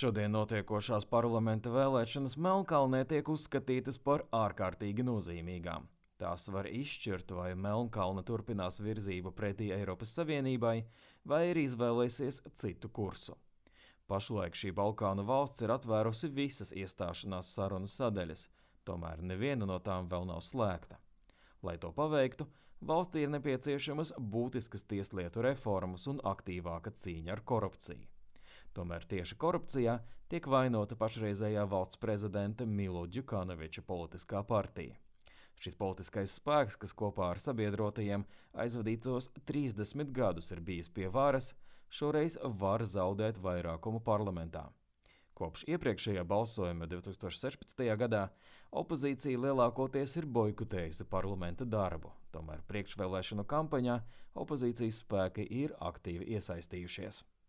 Šodien notiekošās parlamenta vēlēšanas Melnkalnē tiek uzskatītas par ārkārtīgi nozīmīgām. Tās var izšķirt, vai Melnkalne turpinās virzību pretī Eiropas Savienībai, vai arī izvēlēsies citu kursu. Pašlaik šī Balkānu valsts ir atvērusi visas iestāšanās sarunu sadaļas, tomēr neviena no tām vēl nav slēgta. Lai to paveiktu, valstī ir nepieciešamas būtiskas tieslietu reformas un aktīvāka cīņa ar korupciju. Tomēr tieši korupcijā tiek vainota pašreizējā valsts prezidenta Milo Djukanoviča politiskā partija. Šis politiskais spēks, kas kopā ar sabiedrotajiem aizvadītos 30 gadus ir bijis pie varas, šoreiz var zaudēt vairākumu parlamentā. Kopš iepriekšējā balsojuma 2016. gadā opozīcija lielākoties ir boikotējusi parlamenta darbu, tomēr priekšvēlēšanu kampaņā opozīcijas spēki ir aktīvi iesaistījušies.